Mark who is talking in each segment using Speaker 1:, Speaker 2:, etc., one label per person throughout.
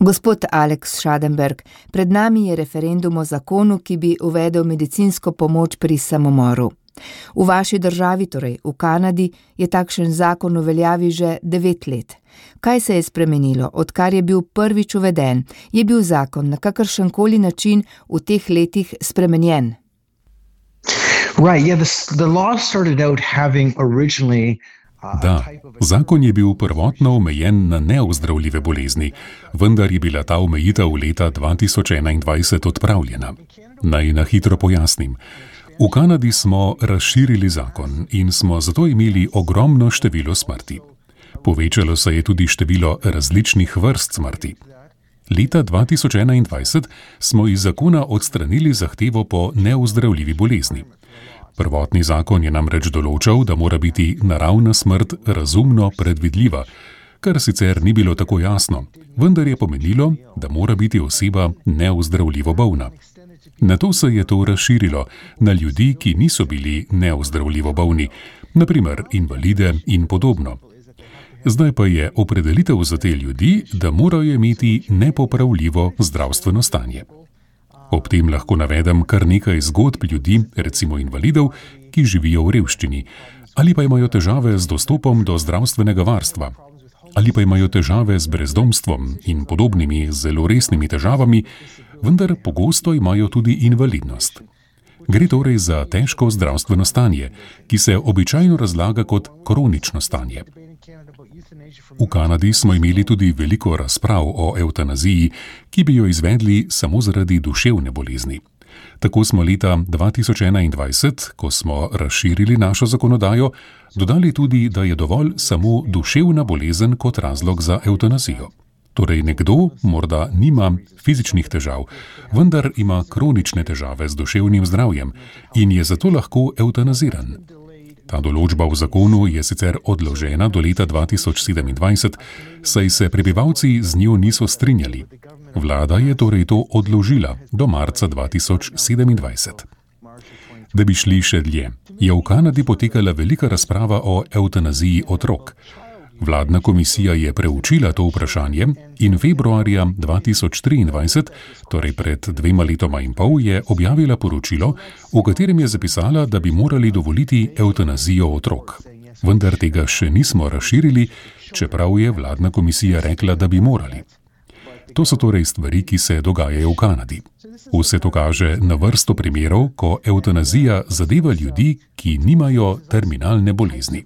Speaker 1: Gospod Alex Schadenberg, pred nami je referendum o zakonu, ki bi uvedel medicinsko pomoč pri samomoru. V vaši državi, torej v Kanadi, je takšen zakon v veljavi že 9 let. Kaj se je spremenilo, odkar je bil prvič uveden? Je bil zakon na kakršenkoli način v teh letih spremenjen?
Speaker 2: Right, yeah, the law started out having originally
Speaker 3: Da, zakon je bil prvotno omejen na neozdravljive bolezni, vendar je bila ta omejitev leta 2021 odpravljena. Naj na hitro pojasnim. V Kanadi smo razširili zakon in smo zato imeli ogromno število smrti. Povečalo se je tudi število različnih vrst smrti. Leta 2021 smo iz zakona odstranili zahtevo po neozdravljivi bolezni. Prvotni zakon je namreč določal, da mora biti naravna smrt razumno predvidljiva, kar sicer ni bilo tako jasno, vendar je pomenilo, da mora biti oseba neozdravljivo bolna. Nato se je to razširilo na ljudi, ki niso bili neozdravljivo bolni, na primer invalide in podobno. Zdaj pa je opredelitev za te ljudi, da morajo imeti nepopravljivo zdravstveno stanje. Ob tem lahko navedem kar nekaj zgodb ljudi, recimo invalidov, ki živijo v revščini, ali pa imajo težave z dostopom do zdravstvenega varstva, ali pa imajo težave z brezdomstvom in podobnimi zelo resnimi težavami, vendar pogosto imajo tudi invalidnost. Gre torej za težko zdravstveno stanje, ki se običajno razlaga kot kronično stanje. V Kanadi smo imeli tudi veliko razprav o evtanaziji, ki bi jo izvedli samo zaradi duševne bolezni. Tako smo leta 2021, ko smo razširili našo zakonodajo, dodali tudi, da je dovolj samo duševna bolezen kot razlog za evtanazijo. Torej nekdo morda nima fizičnih težav, vendar ima kronične težave z duševnim zdravjem in je zato lahko evtanaziran. Ta določba v zakonu je sicer odložena do leta 2027, saj se prebivalci z njo niso strinjali. Vlada je torej to odložila do marca 2027. Da bi šli še dlje, je v Kanadi potekala velika razprava o evtanaziji otrok. Vladna komisija je preučila to vprašanje in februarja 2023, torej pred 2 letoma in pol, je objavila poročilo, v katerem je zapisala, da bi morali dovoliti evtanazijo otrok. Vendar tega še nismo razširili, čeprav je vladna komisija rekla, da bi morali. To so torej stvari, ki se dogajajo v Kanadi. Vse to kaže na vrsto primerov, ko evtanazija zadeva ljudi, ki nimajo terminalne bolezni.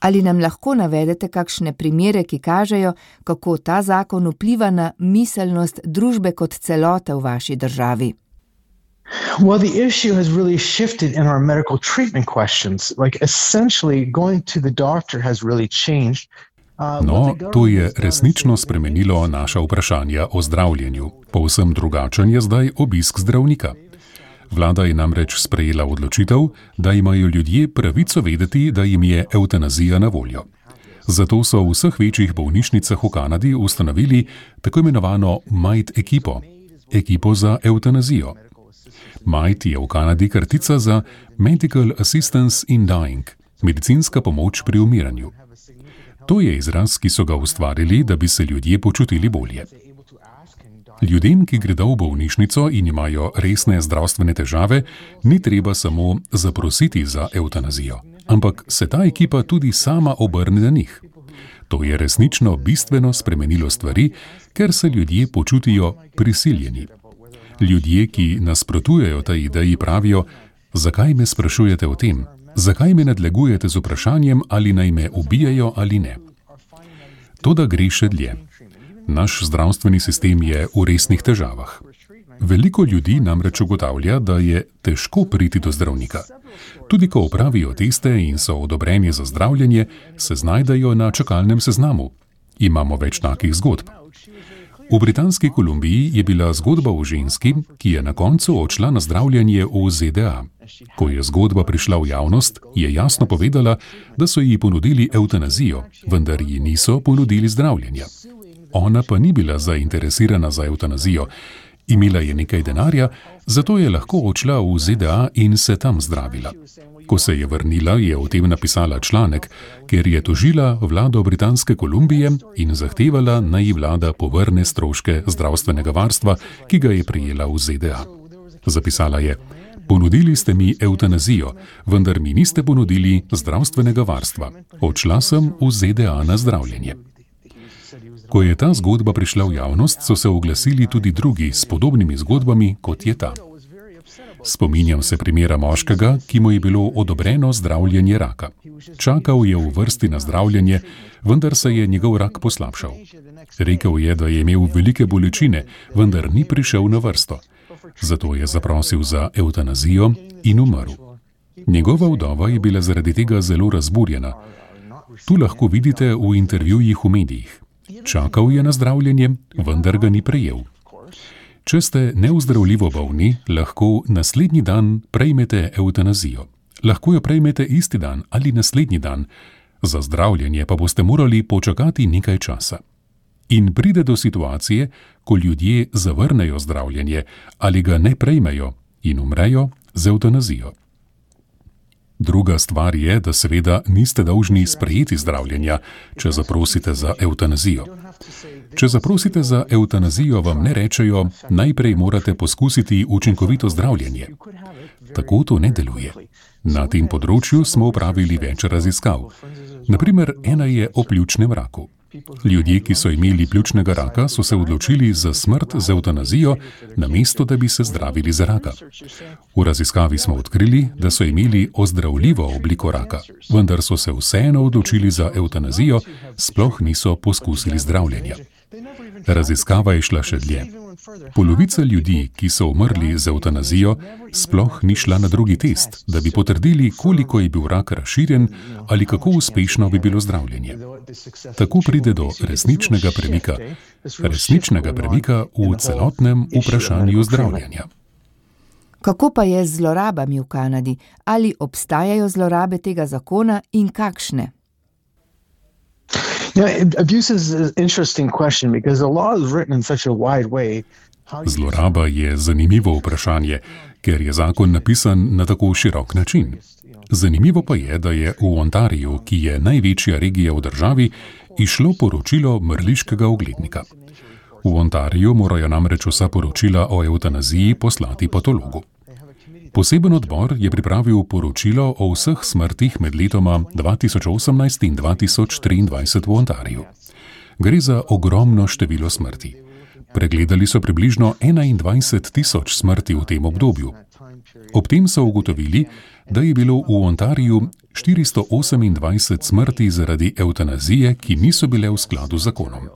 Speaker 1: Ali nam lahko navedete kakšne primere, ki kažejo, kako ta zakon vpliva na miselnost družbe kot celote v vaši državi?
Speaker 2: Well, the issue has really shifted in our medical treatment questions. Like essentially going to the doctor has really changed.
Speaker 3: No, to je resnično spremenilo naša vprašanja o zdravljenju. Povsem drugačen je zdaj obisk zdravnika. Vlada je namreč sprejela odločitev, da imajo ljudje pravico vedeti, da jim je evtanazija na voljo. Zato so v vseh večjih bolnišnicah v Kanadi ustanovili tako imenovano MAID ekipo, ekipo za evtanazijo. MAID je v Kanadi kratica za Medical Assistance in Dying, medicinska pomoč pri umiranju. To je izraz, ki so ga ustvarili, da bi se ljudje počutili bolje. Ljudem, ki gredo v bolnišnico in imajo resne zdravstvene težave, ni treba samo zaprositi za evtanazijo, ampak se ta ekipa tudi sama obrne na njih. To je resnično bistveno spremenilo stvari, ker se ljudje počutijo prisiljeni. Ljudje, ki nasprotujejo tej ideji, pravijo: zakaj me sprašujete o tem? Zakaj me nadlegujete z vprašanjem, ali naj me ubijajo ali ne? Toda gre še dlje. Naš zdravstveni sistem je v resnih težavah. Veliko ljudi namreč ugotavlja, da je težko priti do zdravnika. Tudi ko opravijo teste in so odobreni za zdravljenje, se znajdejo na čakalnem seznamu. Imamo več takih zgodb. V Britanski Kolumbiji je bila zgodba o ženski, ki je na koncu odšla na zdravljenje v ZDA. Ko je zgodba prišla v javnost, je jasno povedala, da so ji ponudili evtanazijo, vendar ji niso ponudili zdravljenja. Ona pa ni bila zainteresirana za evtanazijo. Imela je nekaj denarja, zato je lahko odšla v ZDA in se tam zdravila. Ko se je vrnila, je o tem napisala članek, ker je tožila vlado Britanske Kolumbije in zahtevala, naj ji vlada povrne stroške zdravstvenega varstva, ki ga je prejela v ZDA. Zapisala je: "Ponudili ste mi evtanazijo, vendar mi niste ponudili zdravstvenega varstva. Odšla sem v ZDA na zdravljenje." Ko je ta zgodba prišla v javnost, so se oglasili tudi drugi s podobnimi zgodbami, kot je ta. Spominjam se primera moškega, ki mu je bilo odobreno zdravljenje raka. Čakal je v vrsti na zdravljenje, vendar se je njegov rak poslabšal. Rekel je, da je imel velike bolečine, vendar ni prišel na vrsto. Zato je zaprosil za evtanazijo in umrl. Njegova vdova je bila zaradi tega zelo razburjena. Tu lahko vidite v intervjujih v medijih. Čakal je na zdravljenje, vendar ga ni prejel. Če ste neozdravljivo bolni, lahko naslednji dan prejmete evtanazijo. Lahko jo prejmete isti dan ali naslednji dan. Za zdravljenje pa boste morali počakati nekaj časa. In pride do situacije, ko ljudje zavrnejo zdravljenje ali ga ne prejmejo in umrejo z evtanazijo. Druga stvar je, da seveda niste dolžni sprejeti zdravljenja, če zaprosite za evtanazijo. Če zaprosite za evtanazijo, vam ne rečejo, najprej morate poskusiti učinkovito zdravljenje. Tako to ne deluje. Na tem področju smo opravili več raziskav. Naprimer, ena je o pljučnem raku. Ljudje, ki so imeli pljučnega raka, so se odločili za smrt z evtanazijo, namesto da bi se zdravili za raka. V raziskavi smo odkrili, da so imeli ozdravljivo obliko raka, vendar so se vseeno odločili za evtanazijo, sploh niso poskusili zdravljenja. Raziskava je šla še dlje. Polovica ljudi, ki so umrli z evtanazijo, sploh ni šla na drugi test, da bi potrdili, koliko je bil rak razširjen ali kako uspešno bi bilo zdravljenje. Tako pride do resničnega premika v celotnem vprašanju zdravljenja.
Speaker 1: Kako pa je z zlorabami v Kanadi? Ali obstajajo zlorabe tega zakona in kakšne?
Speaker 3: Zloraba je zanimivo vprašanje, ker je zakon napisan na tako širok način. Zanimivo pa je, da je v Ontariju, ki je največja regija v državi, izšlo poročilo mrliškega oglednika. V Ontariju morajo namreč vsa poročila o evtanaziji poslati patologu. Poseben odbor je pripravil poročilo o vseh smrtih med letoma 2018 in 2023 v Ontariju. Gre za ogromno število smrti. Pregledali so približno 21,000 smrti v tem obdobju. Ob tem so ugotovili, da je bilo v Ontariju 428 smrti zaradi evtanazije, ki niso bile v skladu z zakonom.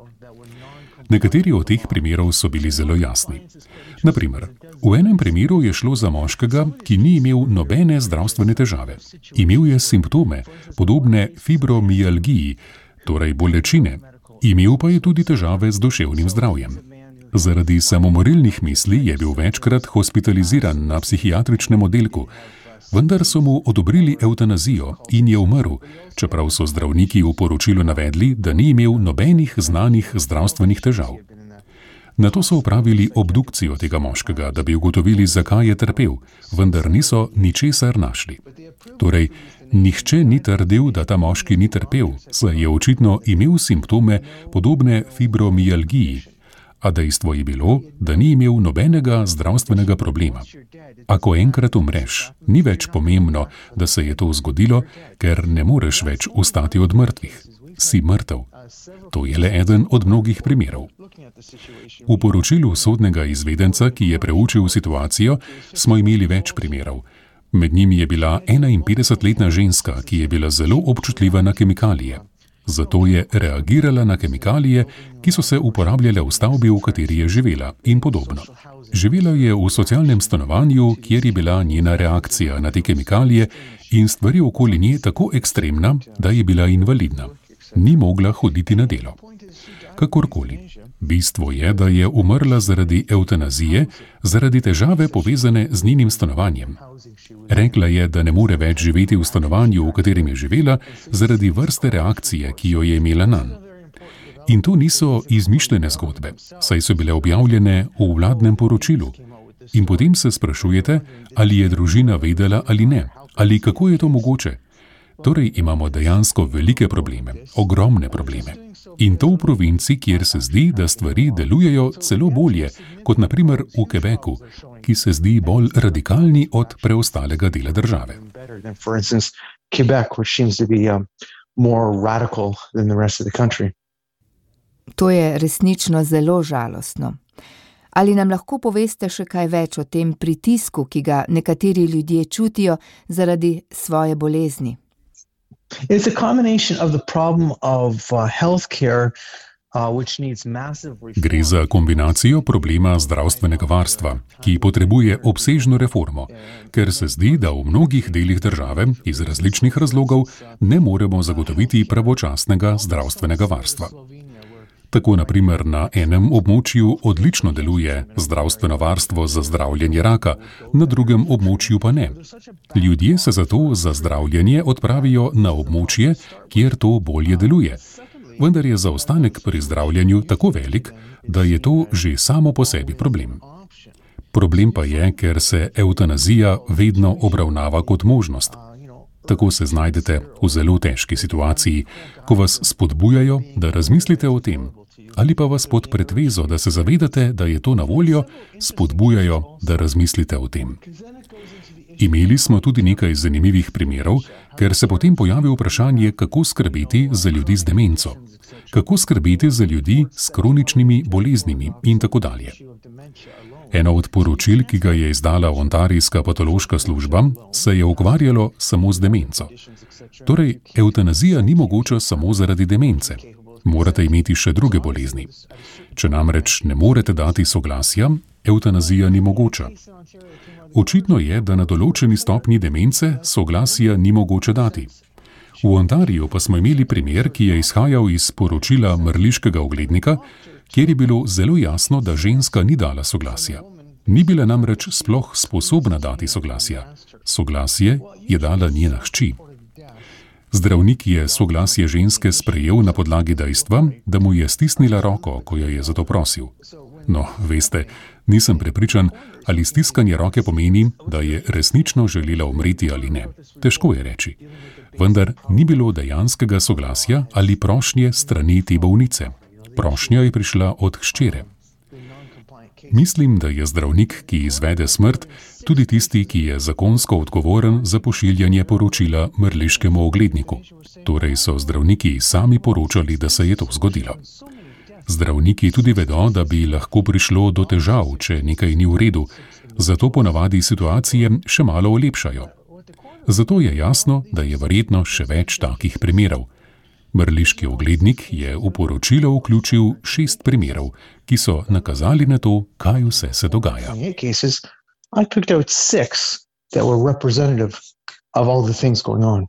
Speaker 3: Nekateri od teh primerov so bili zelo jasni. Naprimer, v enem primeru je šlo za moškega, ki ni imel nobene zdravstvene težave. Imel je simptome, podobne fibromialgiji, torej bolečine. Imel pa je tudi težave z duševnim zdravjem. Zaradi samomorilnih misli je bil večkrat hospitaliziran na psihiatričnem oddelku, vendar so mu odobrili evtanazijo in je umrl, čeprav so zdravniki v poročilu navedli, da ni imel nobenih znanih zdravstvenih težav. Nato so opravili obdukcijo tega moškega, da bi ugotovili, zakaj je trpel, vendar niso ničesar našli. Torej, nihče ni trdil, da ta moški ni trpel, saj je očitno imel simptome podobne fibromialgiji, a dejstvo je bilo, da ni imel nobenega zdravstvenega problema. Ako enkrat umreš, ni več pomembno, da se je to zgodilo, ker ne moreš več vstati od mrtvih. Si mrtev. To je le eden od mnogih primerov. V poročilu sodnega izvedenca, ki je preučil situacijo, smo imeli več primerov. Med njimi je bila 51-letna ženska, ki je bila zelo občutljiva na kemikalije. Zato je reagirala na kemikalije, ki so se uporabljale v stavbi, v kateri je živela, in podobno. Živela je v socialnem stanovanju, kjer je bila njena reakcija na te kemikalije in stvari okoli nje tako ekstremna, da je bila invalidna. Ni mogla hoditi na delo. Kakorkoli. Bistvo je, da je umrla zaradi evtanazije, zaradi težave povezane z njenim stanovanjem. Rekla je, da ne more več živeti v stanovanju, v katerem je živela, zaradi vrste reakcije, ki jo je imela nanj. In to niso izmišljene zgodbe, saj so bile objavljene v vladnem poročilu. In potem se sprašujete, ali je družina vedela ali ne, Ali kako je to mogoče? Torej imamo dejansko velike probleme, ogromne probleme. In to v provinci, kjer se zdi, da stvari delujejo celo bolje, kot na primer v Quebecu, ki se zdi bolj radikalni od preostalega dela države.
Speaker 1: To je resnično zelo žalostno. Ali nam lahko poveste še kaj več o tem pritisku, ki ga nekateri ljudje čutijo zaradi svoje bolezni?
Speaker 2: It's a combination of the problem of healthcare, which needs massive reform.
Speaker 3: Gre za kombinacijo problema zdravstvenega varstva, ki potrebuje obsežno reformo, ker se zdi, da v mnogih delih države iz različnih razlogov ne moremo zagotoviti pravočasnega zdravstvenega varstva. Tako na primer na enem območju odlično deluje zdravstveno varstvo za zdravljenje raka, na drugem območju pa ne. Ljudje se zato za zdravljenje odpravijo na območje, kjer to bolje deluje. Vendar je zaostanek pri zdravljenju tako velik, da je to že samo po sebi problem. Problem pa je, ker se evtanazija vedno obravnava kot možnost. Tako se znajdete v zelo težki situaciji, ko vas spodbujajo, da razmislite o tem, ali pa vas pod pretvezo, da se zavedate, da je to na voljo, spodbujajo, da razmislite o tem. Imeli smo tudi nekaj zanimivih primerov, ker se potem pojavi vprašanje, kako skrbeti za ljudi z demenco, kako skrbeti za ljudi s kroničnimi boleznimi in tako dalje. Eno od poročil, ki ga je izdala ontarijska patološka služba, se je ukvarjalo samo z demenco. Torej, evtanazija ni mogoča samo zaradi demence. Morate imeti še druge bolezni. Če namreč ne morete dati soglasja, evtanazija ni mogoča. Očitno je, da na določeni stopnji demence soglasja ni mogoče dati. V Ontariju pa smo imeli primer, ki je izhajal iz poročila mrliškega oglednika, kjer je bilo zelo jasno, da ženska ni dala soglasja. Ni bila namreč sploh sposobna dati soglasja. Soglasje je dala njena hči. Zdravnik je soglasje ženske sprejel na podlagi dejstva, da mu je stisnila roko, ko jo je za to prosil. No, veste, nisem prepričan, ali stiskanje roke pomeni, da je resnično želela umreti ali ne. Težko je reči. Vendar ni bilo dejanskega soglasja ali prošnje strani te bolnice. Prošnja je prišla od hčere. Mislim, da je zdravnik, ki izvede smrt, tudi tisti, ki je zakonsko odgovoren za pošiljanje poročila mrliškemu ogledniku. Torej so zdravniki sami poročali, da se je to zgodilo. Zdravniki tudi vedo, da bi lahko prišlo do težav, če nekaj ni v redu, zato ponavadi situacije še malo olepšajo. Zato je jasno, da je verjetno še več takih primerov. Mrliški oglednik je v poročilo vključil 6 primerov, ki so nakazali na to, kaj vse se dogaja.
Speaker 2: I picked out 6 that were representative of all the things going on.